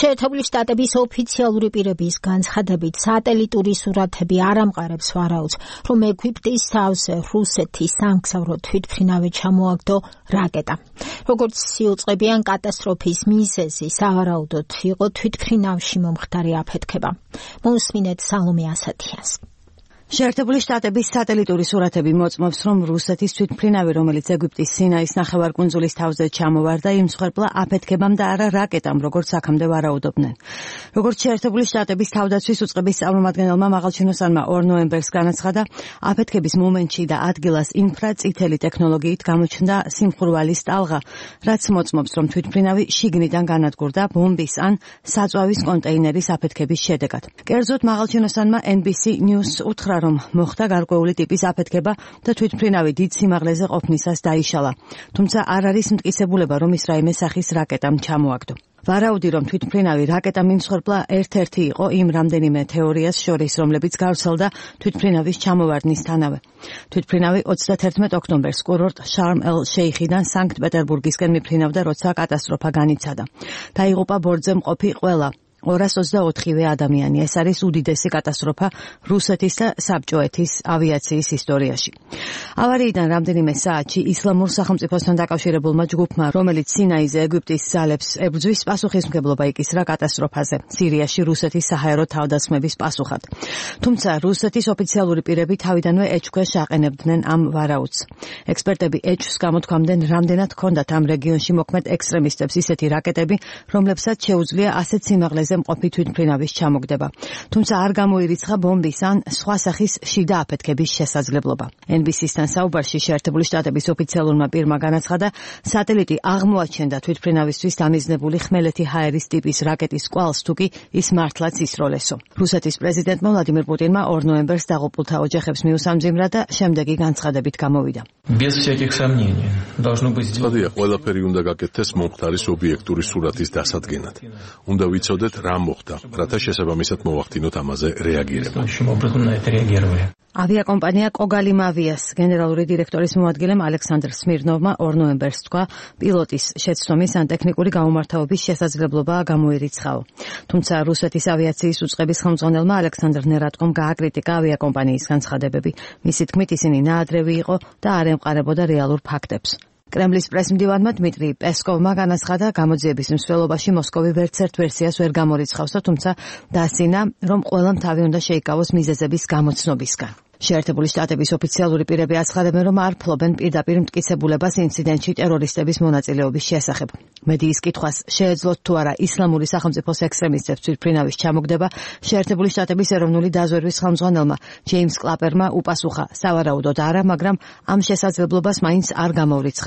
შეერთებული შტატების ოფიციალური პირების განცხადებით, სატელიტური სურათები არ ამყარებს ვარაუდს, რომ ეგვიპტის თავზე რუსეთის სამგზავრო თვითმფრინავი ჩამოაგდო რაკეტა. როგორც იუწყებიან კატასტროფის მიზეზი, სავარაუდოდ იყო თვითმფრინავში მომხდარი აფეთქება. მოусმინეთ სალომე ასათიანს. შეერთებული შტატების სატელიტური სურათები მოწმობს, რომ რუსეთის თვითმფრინავი, რომელიც ეგვიპტის სინაის ნახევარკუნძულის თავზე ჩამოვარდა, იმსხვერპლა აფეთქებამ და არა რაკეტამ, როგორც აქამდე ვარაუდობდნენ. როგორც შეერთებული შტატების თავდაცვის უწყების წარმომადგენელმა მაღალჩინოსანმა 2 ნოემბერს განაცხადა, აფეთქების მომენტში და ადგილას ინფრაწითელი ტექნოლოგიით გამოჩნდა სიმხურვალის ტალღა, რაც მოწმობს, რომ თვითმფრინავი შიგნიდან განადგურდა ბომბის ან საწვავის კონტეინერის აფეთქების შედეგად. კერძოდ მაღალჩინოსანმა NBC News უთხრა, რომ მოხდა გარკვეული ტიპის აფეთქება და თვითმფრინავი დიდ სიმაღლეზე ყოფნისას დაიშალა. თუმცა არ არის მტკიცებულება, რომ ის რაიმე სახის რაკეტამ ჩამოაგდო. ვარაუდი, რომ თვითმფრინავი რაკეტამ იმსხვერპლა ერთ-ერთი იყო იმ რამდენიმე თეორიას შორის, რომლებიც გავრცელდა თვითმფრინავის ჩამოვარდნისთანავე. თვითმფრინავი 31 ოქტომბერს კურორტ შარმ-ელ-შეიხიდან სანქტ-პეტერბურგისკენ მიფრინავდა, როცა კატასტროფა განიცადა. დაიღუპა ბორტზე მყოფი ყველა 224 ადამიანი. ეს არის უდიდესი კატასტროფა რუსეთის და საბჭოეთის ავიაციის ისტორიაში. ავარიიდან რამდენიმე საათში ისლამურ სახელმწიფოსთან დაკავშირებულმა ჯგუფმა, რომელიც სინაიზე ეგვიპტის ძალებს ებრძვის, პასუხისმგებლობა იკისრა კატასტროფაზე სირიაში რუსეთის საჰაერო თავდასხმების პასუხად. თუმცა რუსეთის ოფიციალური პირები თავიდანვე ეჭვქვეშ აყენებდნენ ამ ვარაუდს. ექსპერტები ეჭვს გამოთქვამდნენ, რამდენად ჰქონდათ ამ რეგიონში მოქმედ ექსტრემისტებს ისეთი რაკეტები, რომლებსაც შეუძლია ასეთ სიმაღლეზე მყოფი თვითმფრინავის ჩამოგდება. თუმცა არ გამოირიცხა ბომბის ან სხვა სახის შიდა აფეთქების შესაძლებლობა. NBC-სთან საუბარში შეერთებული შტატების ოფიციალურმა პირმა განაცხადა, სატელიტი აღმოაჩენდა თვითმფრინავისთვის დამიზნებული ხმელეთი ჰაერის ტიპის რაკეტის კვალს, თუკი ის მართლაც ისროლესო. რუსეთის პრეზიდენტმა ვლადიმირ პუტინმა 2 ნოემბერს დაღუპულთა ოჯახებს მიუსამძიმრა და შემდეგი განცხადებით გამოვიდა. Სადია, ყველაფერი უნდა გაკეთდეს მომხდარის ობიექტური სურათის დასადგენად. უნდა ვიცოდეთ რა მოხდა, რათა შესაბამისად მოვახდინოთ ამაზე რეაგირება. ავიაკომპანია კოგალიმავიას გენერალური დირექტორის მოადგილემ ალექსანდრ სმირნოვმა 2 ნოემბერს თქვა, პილოტის შეცდომის ან ტექნიკური გაუმართავების შესაძლებლობაა გამოირიცხაო. თუმცა რუსეთის ავიაციის უწყების ხელმძღვანელმა ალექსანდრ ნერატკომ გააკრიტიკა ავიაკომპანიის განცხადებები. მისი თქმით, ისინი ნაადრევი იყო და არ ემყარებოდა რეალურ ფაქტებს. კრემლის პრესმდივანმა დმიტრი პესკოვმა განაცხადა, გამოძიების მსვლელობაში მოსკოვი ვერცერთ ვერსიას ვერ გამორიცხავს, თუმცა დასძინა, რომ ყველამ თავი უნდა შეიკავოს მიზეზების გამოცნობისგან. შეერთებული შტატების ოფიციალური პირები აცხადებენ, რომ არ ფლობენ პირდაპირ მტკიცებულებას ინციდენტში ტერორისტების მონაწილეობის შესახებ. მედიის კითხვას შეეძლოთ თუ არა ისლამური სახელმწიფოს ექსტრემისტებს თვითმფრინავის ჩამოგდება, შეერთებული შტატების ეროვნული დაზვერვის ხელმძღვანელმა ჯეიმს კლაპერმა უპასუხა, სავარაუდოდ არა, მაგრამ ამ შესაძლებლობას მაინც არ გამოურიცხავს.